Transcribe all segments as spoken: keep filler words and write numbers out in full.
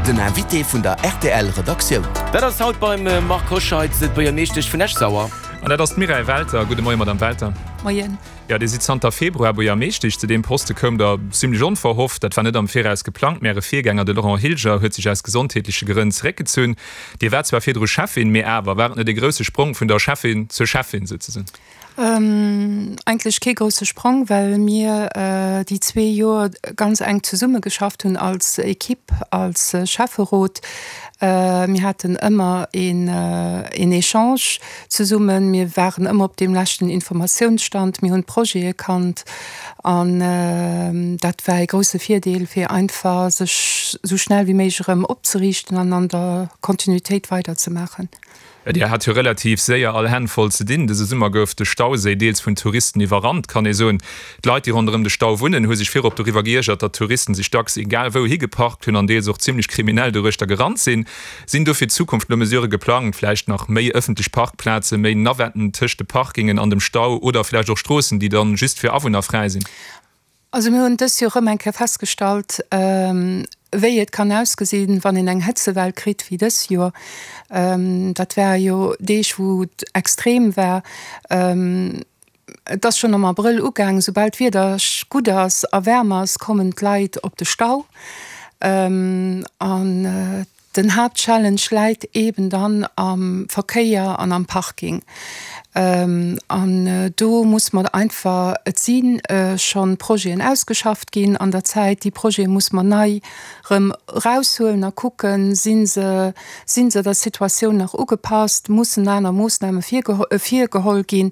Den Invité vun der R T L Redaktioun. Dat ass haut beim Marc Hoscheid, d'Buergermeeschtesch vun Esch-Sauer. An dat ass d'Mireille Welter. Gudde Moien, Madame Welter. Moien. Jo, Dir sidd zanter Februar Buergermeeschtesch. Zu deem Poste koumt Der zimmlech onverhofft. Dat war net am Viraus geplangt, mä Äre Virgänger, de Laurent Hilger, huet sech aus gesondheetleche Grënn zeréckgezunn. Dir waart zwar virdru Schäffin, mee awer, war et net e grousse Sprong vun der Schäffin zur Schäffin souzesoen? Eigentlech kee grousse Sprong, well mir déi zwee Joer ganz enk zesummegeschafft hunn als Equipe, als Schäfferot. Mir haten ëmmer een een Echange zesummen, mir waren ëmmer op deem leschten Informatiounsstand, mir hunn d'Projete kannt an dat war ee grousse Virdeel, fir einfach sech esou schnell wéi méiglech erëm opzeriichten an an der Kontinuitéit weiderzemaachen. Dir hat jo relativ séier all Hänn voll ze dinn. Dëse Summer gouf de Stauséi deels vun Touristen iwwerrannt, kann ee soen. D'Leit, déi ronderëm de Stau wunnen, hu sech virop doriwwer geiergert, datt Touristen sech dacks egal wou higeparkt hunn an deels och zimmlech kriminell doruechter gerannt sinn. Sinn do fir d'Zukunft elo Mesurë geplangt, vläicht nach méi ëffentlech Parkplazen, méi Navetten tëscht de Parkingen an dem Stau oder vläicht och Stroossen, déi dann just fir Awunner fräi sinn? Also mir hunn dës Joer erëm eng Kéier festgestallt, wéi et kann ausgesinn, wann een eng Hëtzewell kritt wéi dës Joer. Dat ware jo Deeg, wou et extrem war. Et ass schonn am Abrëll ugaangen, soubal d'Wieder gutt ass a waarm ass, kommen d'Leit op de Stau. An Den Haaptchallenge läit eben dann am Verkéier an am Parking. An do muss mer einfach, et si scho Projeten ausgeschafft ginn an der Zäit, déi Projete muss mer nei erëm eraushuelen a kucken, si se, si se der Situatioun nach ugepasst, mussen aner Moossname virgeholl ginn.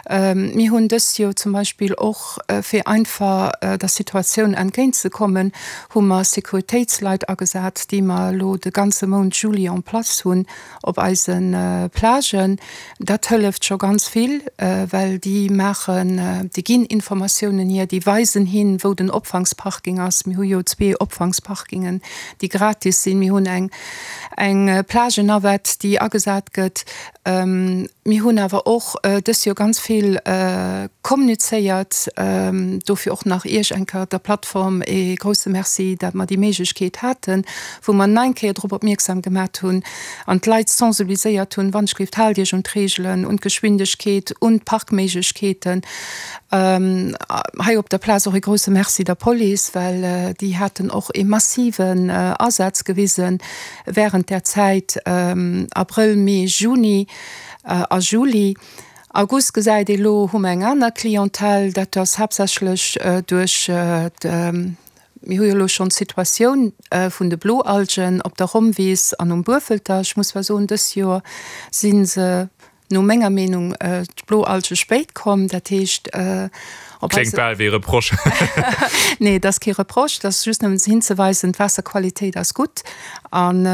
Mir hunn dëst Joer zum Beispill och, fir einfach der Situatioun entgéintzekommen, hu mer Sécuritéitsleit agesat, déi mer elo de ganze Mount Juli en place hunn op eise Plagen. Dat hëlleft scho ganz vill, well déi maachen, déi ginn Informatiounen hier, déi weisen hin, wou den Opfangsparking ass. Mir hu jo zwee Opfangsparkingen, déi gratis sinn. Mir hunn eng eng Plagenavette, déi agesat gëtt. Mir hunn awer och dës Joer ganz vill kommunizéiert. Dofir och nach Iech eng Kéier, der Plattform, ee grousse Merci, dat mer déi Méiglechkeet haten, wou mer nach eng Kéier drop opmierksam gemat hunn an d'Leit sensibiliséiert hunn, Wannschrift, haalt Iech un d'Reegelen, un d'Geschwindegkeet, un d'Parkméiglechkeeten. Hei op der Plaz och ee grousse Merci der Police, well déi haten och ee massiven Asaz gewisen während där Zäit, Abrëll, Mee, Juni a Juli. August gesäit ee lo, hu mer eng aner Clientèle, dat ass haaptsächlech duerch de, mir hu jo elo schonn d'Situatioun vun de Bloalgen op der Rommwiss an um Buerfelter. Ech muss zwar soen, dës Joer si se no menger Meenung d'Bloalge spéit komm, dat heescht op eise. Kléngt bal wéi e Reproche. Nee, et ass kee Reproche, et ass just nëmmen hinzeweisen, d'Waasserqualitéit ass gutt an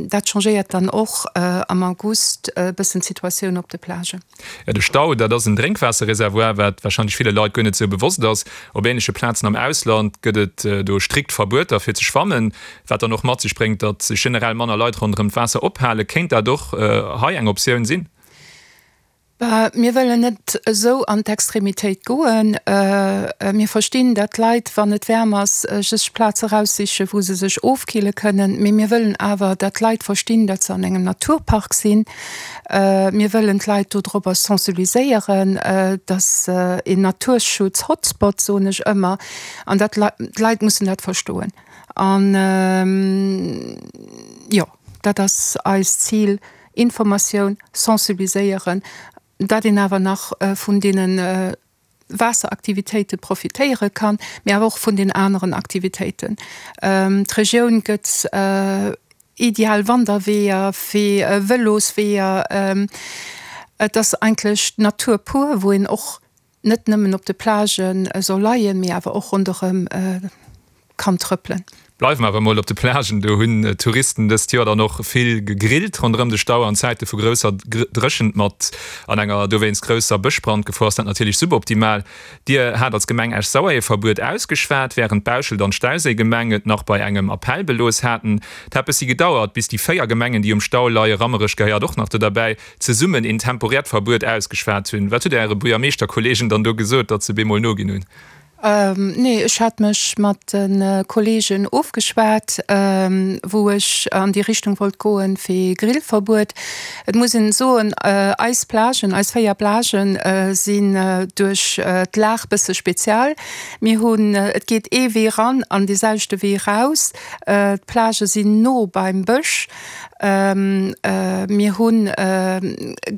dat changéiert dann och am August e bëssen d'Situatioun op de Plagen. Jo, de Stau, dat ass en Drénkwaasserreservoir, wat warscheinlech ville Leit guer net esou bewosst ass. Op änleche Plazen am Ausland gëtt et do strikt Verbueter fir ze schwammen, wat dann och mat sech bréngt, datt sech generell manner Leit ronderëm d'Waasser ophalen. Kéint dat och hei eng Optioun sinn? Mir wëllen net esou an d'Extremitéit goen. Mir verstinn, datt d'Leit, wann et waarm ass, sech Plaze eraussichen, wou se sech ofkille kënnen. Mee mir wëllen awer, datt d'Leit verstinn, datt se an engem Naturpark sinn. Mir wëllen d'Leit dodropper sensibiliséieren, datt een Naturschutz-Hotspot, soen ech ëmmer, an dat d'Leit mussen dat verstoen. An jo, dat ass eist Zil, Informatioun, sensibiliséieren, dat een awer nach vun deene Waasseraktivitéite profitéiere kann, mee awer och vun den aneren Aktivitéiten. D'Regioun gëtt ideal Wanderweeër fir Vëlosweeër. Et ass eigentlech d'Natur pur, wou een och net nëmmen op de Plagë soll leien, mee awer och ronderëm kann trëppelen. Bleiwe mer awer emol op de Plagen, do hunn d'Touristen dëst Joer dann och vill gegrillt ronderëm de Stau. An Zäite vu grousser Dréchent mat an enger dowéinst grousser Bëschbrandgefor ass dat natierlech suboptimal. Dir hat als Gemeng Esch-Sauer ee Verbuet ausgeschwat, wärend Bauschelt an d'Stauséigemeng et nach bei engem Appell belooss haten. Et hat bëssi gedauert, bis déi véier Gemengen, déi um Stau leien, Rammerech gehéiert och nach do derbäi, zesummen een temporäert Verbuet ausgeschwat hunn. Wat hutt Dir Äre Buergermeeschterkolleegen dann do gesot, datt se bemol noginn hunn? Nee, ech hat mech mat de Kolleegen ofgeschwat, wou ech an déi Richtung wollt goen fir Grillverbuet. Et muss een soen, eis Plagen, eis véier Plagen sinn duerch d'Lag bësse spezial. Mir hunn, et geet ee Wee ran an dee selwechte Wee raus. D'Plagë sinn no beim Bësch. Mir hu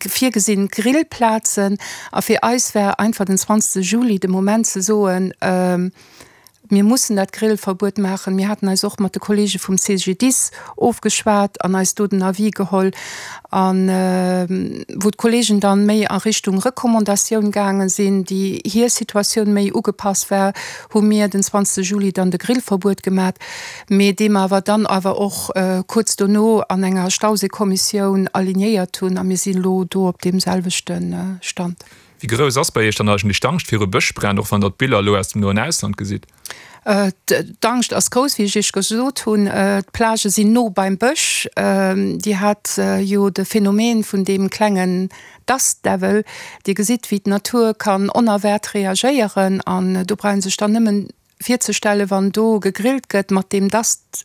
virgesinn Grillplazen a fir eis war einfach den zwanzegste Juli de Moment ze soen, mir mussen dat Grillverbuet maachen. Mir haten eis och mat de Kollege vum CGDIS ofgeschwat an eis do den Avis geholl an wou d'Kollegen dann méi a Richtung Recommandatioun gaange sinn, déi hir Situatioun méi ugepasst war, hu mir den zwanzegste Juli dann de Grillverbuet gemat, mee dee mer awer dann awer och kuerz dono an enger Stauséikommissioun alignéiert hunn a mir sinn elo do op deem selwechte Stand. Wéi grouss ass bei Iech dann eigentlech d'Angscht viru Bëschbränn, och wann Der d'Biller elo aus dem noen Ausland gesitt? D'Angscht ass grouss, wéi ech Iech gesot hunn. D'Plagë sinn no beim Bësch. Dir hat jo de Phänomen vun deem klengen Dust Devil. Dir gesitt, wéi d'Natur kann onerwaart reagéieren. An do brauch ee sech dann nëmmen virzestellen, wann do gegrillt gëtt mat deem Dust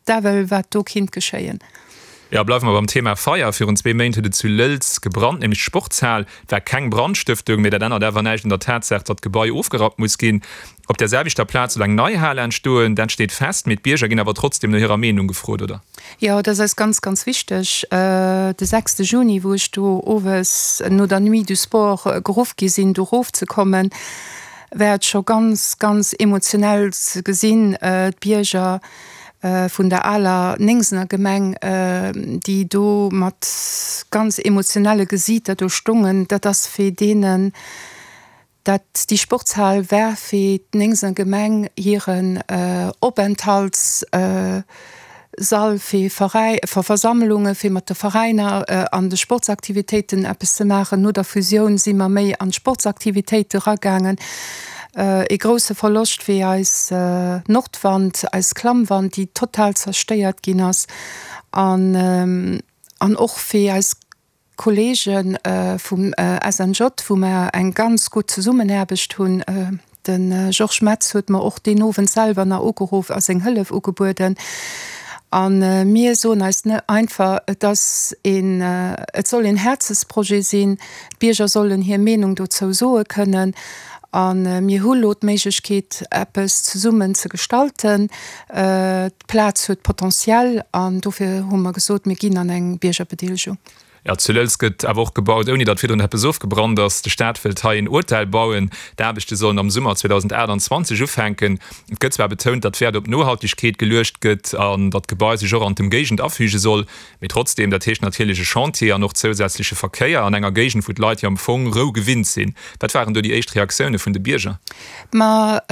Devil, wat do kinnt geschéien. Jo, bleiwe mer beim Thema Feier. Virun zwee Méint huet et zu Lëlz gebrannt, nämlech d'Sportshal. Et war keng Brandstëftung, mee dat ännert awer näischt un der Tatsaach, datt d'Gebai ofgerappt muss ginn. Op där selwechter Plaz soll eng nei Hal entstoen, dat steet fest, mee d'Bierger ginn awer trotzdeem no hirer Meenung gefrot, oder? Jo, dat ass eis ganz, ganz wichteg. De sechste Juni, wou ech do owes no der Nuit du Sport geruff gi sinn, do erofzekommen, war et scho ganz, ganz emotionell ze gesinn, d'Bierger vun der aler Néngsener Gemeng, déi do mat ganz emotionelle Gesiiter do stongen. Dat ass fir deenen, dat déi Sportshal war fir d'Néngsener Gemeng hiren Openthalts Sall fir Veräi, fir Versammlungen, fir mat de Veräiner an de Sportsaktivitéiten eppes ze maachen. No der Fusioun si mer méi an d'Sportsaktivitéite ragaangen. Ee grousse Verloscht fir eis Nordwand, eis Klammwand, déi total zerstéiert ginn ass. An, an och fir eis Kollege vum S N J, wou mer eng ganz gutt Zesummenaarbecht hunn. De Georges Metz huet mer och deen Owend selwer nach ugeruff a seng Hëllef ugebueden. A mir soen eis einfach, et ass een, et soll een Häerzensprojet sinn, d'Bierger sollen hir Meenung dozou soe kënnen. A mir hu lo d'Méiglechkeet, eppes zesummen ze gestalten. D'Plaz huet Potential an dofir hu mer gesot, mir ginn an eng Biergerbedeelegung. Jo, zu Lëlz gëtt awer och gebaut, ouni datt virdrun eppes ofgebrannt ass. De Staat wëllt hei en Hotel bauen. D'Aarbechte sollen am Summer zweedausendachtundzwanzeg ufänken. Et gëtt zwar betount, datt Wäert op Nohaltegkeet geluecht gëtt an datt d'Gebai sech och an d'Ëmgéigend afüge soll. Mee trotzdeem, dat heescht natierlech e Chantier an och zousätzleche Verkéier an enger Géigend, wou d'Leit jo am Fong Rou gewinnt sinn. Wat waren do déi éischt Reaktioune vun de Bierger? Ma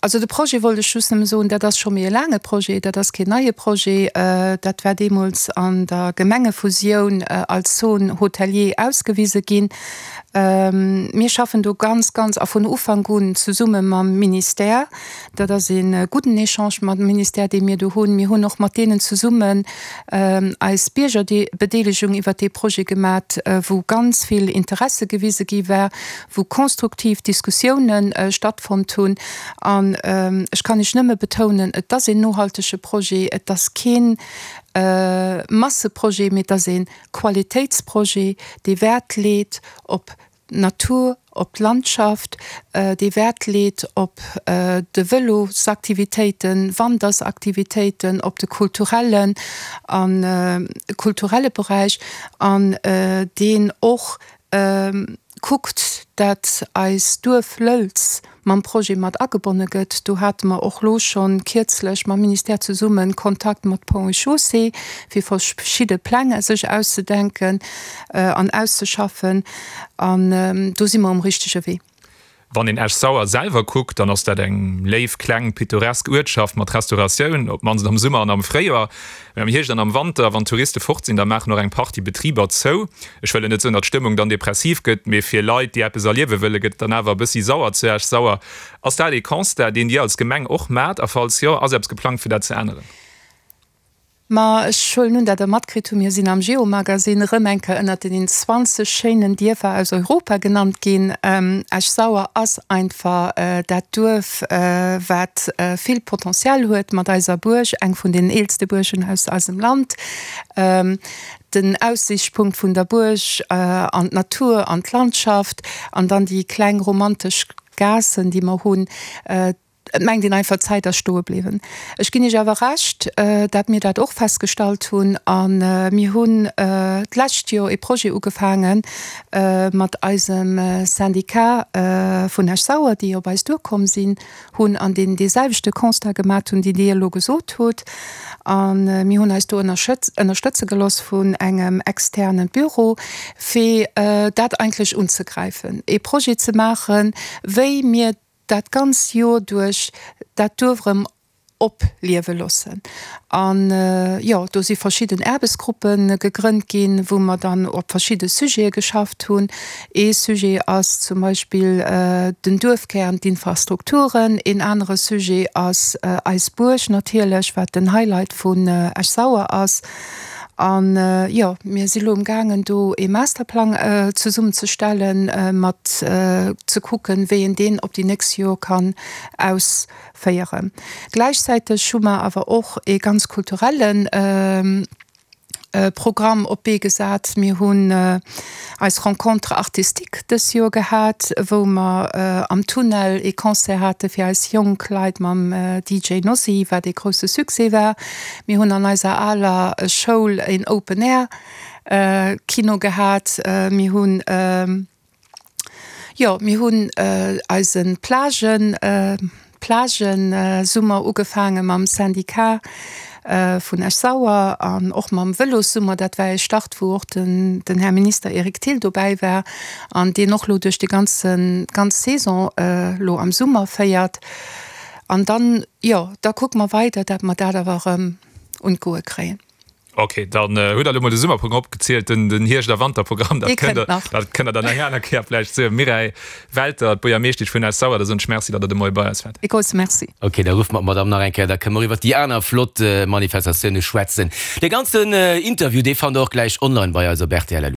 also de Projet wollt ech just nëmme soen, dat ass scho méi e laange Projet, dat ass keen neie Projet. Dat war deemools an der Gemengefusioun als Zone hôtelier ausgewise ginn. Mir schaffen do ganz, ganz a vun Ufank un zesumme mam Ministère. Dat ass ee gudden Echange mam Ministère, dee mir do hunn. Mir hunn och mat deenen zesummen eis Biergerbedeelegung iwwert dee Projet gemat, wou ganz vill Interesse gewise gi war, wou konstruktiv Diskussiounen stattfonnt hunn. An ech kann Iech nëmme betounen, et ass een nohaltege Projet, et ass keen Masseprojet, mee et ass ee Qualitéitsprojet, dee Wäert leet op d'Natur, op d'Landschaft, dee Wäert leet op de Vëlosaktivitéiten, Wandersaktivitéiten, op de kulturellen a kulturelle Beräich an deen och kuckt, dat eis Duerf Lëlz mam Projet mat agebonne gëtt. Do hate mer och lo schonn kierzlech mam Ministère zesumme Kontakt mat Ponts et Chaussées, fir verschidde Pläng sech auszedenken an auszeschaffen. An do si mer um richtege Wee. Wann een Esch-Sauer selwer kuckt, dann ass dat eng léif, kleng, pittoresk Uertschaft mat Restauratioun, op d'mannst am Summer an am Fréijoer. Mee am Hierscht an am Wanter, wann d'Touriste fort sinn, da maachen och eng Partie Betriber zou. Ech wëll net soen, datt d'Stëmmung dann depressiv gëtt, mee fir Leit, déi eppes erliewe wëllen, gëtt et dann awer e bëssi sauer zu Esch-Sauer. Ass dat ee Constat, deen Dir als Gemeng och maacht? A falls jo, ass eppes geplangt, fir dat ze änneren? Ma ech huelen un, dat Der matkritt hutt, mir sinn am Geo-Magazine erëm eng Kéier ënnert den zwanzeg schéinen Dierfer aus Europa genannt ginn. Esch-Sauer ass einfach dat Duerf, wat vill Potential huet mat eiser Buerg, eng vun den eelste Buergen aus eisem Land. Den Aussiichtspunkt vun der Buerg an d'Natur an d'Landschaft an dann déi kleng romantesch Gaassen, déi mer hunn. Et mengt een einfach, d'Zäit ass stoe bliwwen. Ech ginn Iech awer Recht, dat mir dat och festgestallt hunn. A mir hunn d'lescht Joer ee Projet ugefaange mat eisem Syndicat vun Esch-Sauer, déi op eis duerkomm sinn hunn an deen dee selwechte Constat gemat hunn, deen Dir elo gesot hutt. A mir hunn eis do ënnerstëtze gelooss vun engem externe Büro, fir dat eigentlech unzegräifen, ee Projet ze maachen, wéi mir dat ganz Joer duerch dat Duerf erëm opliewe loossen. An, jo, do si verschidden Aarbechtsgruppe gegrënnt ginn, wou mer dann op verschidde Sujete geschafft hunn. Ee Sujet ass zum Beispill den Duerfkär an d'Infrastrukturen. Een anere Sujet ass eis Buerg natierlech, wat den Highlight vun Esch-Sauer ass. An, jo, mir si lo amgaangen, do ee Masterplang zesummenzestellen, mat ze kucken, wéi een deen op déi nächst Joer kann ausféieren. Gläichzäiteg hu mer awer och ee ganz kulturelle Programm op d'Bee gesat. Mir hunn eis Rencontre artistique dës Joer gehat, wou mer am Tunnel ee Concert hate fir eis jonk Leit mam D J Nossi, wat ee grousse Succès war. Mir hunn an eiser aler Schoul een Open Air Kino gehat. Mir hunn, jo, mir hunn eise Plagen, Plagensummer ugefaange mam Syndicat vun Esch-Sauer an och mam Vëlossummer. Dat war ee Start, wou och den den Här Minister Eric Thill dobäi war an deen och lo duerch déi ganze ganz Saison lo am Summer féiert. An dann, jo, da kucke mer weider, dat mer dat awer erëm un d'Goe kréien. Ok, dann hutt Der elo mol de Summerprogramm opgezielt, den den Hierscht a Wanterprogramm, dat kënnt Der, dat kënnt Der dann eng aner Kéier vläicht soen. Mireille Welter, d'Buergermeeschtesch vun Esch-Sauer, da soen ech Merci, datt Der de Moie bei eis waart. E grousse Merci. Ok, da ruffe mer d'Madame nach eng Kéier, da kënne mer iwwert déi aner flott Manifestatioune schwätzen. Dee ganzen Interview, dee fannt Der och gläich online bei eis op rtl.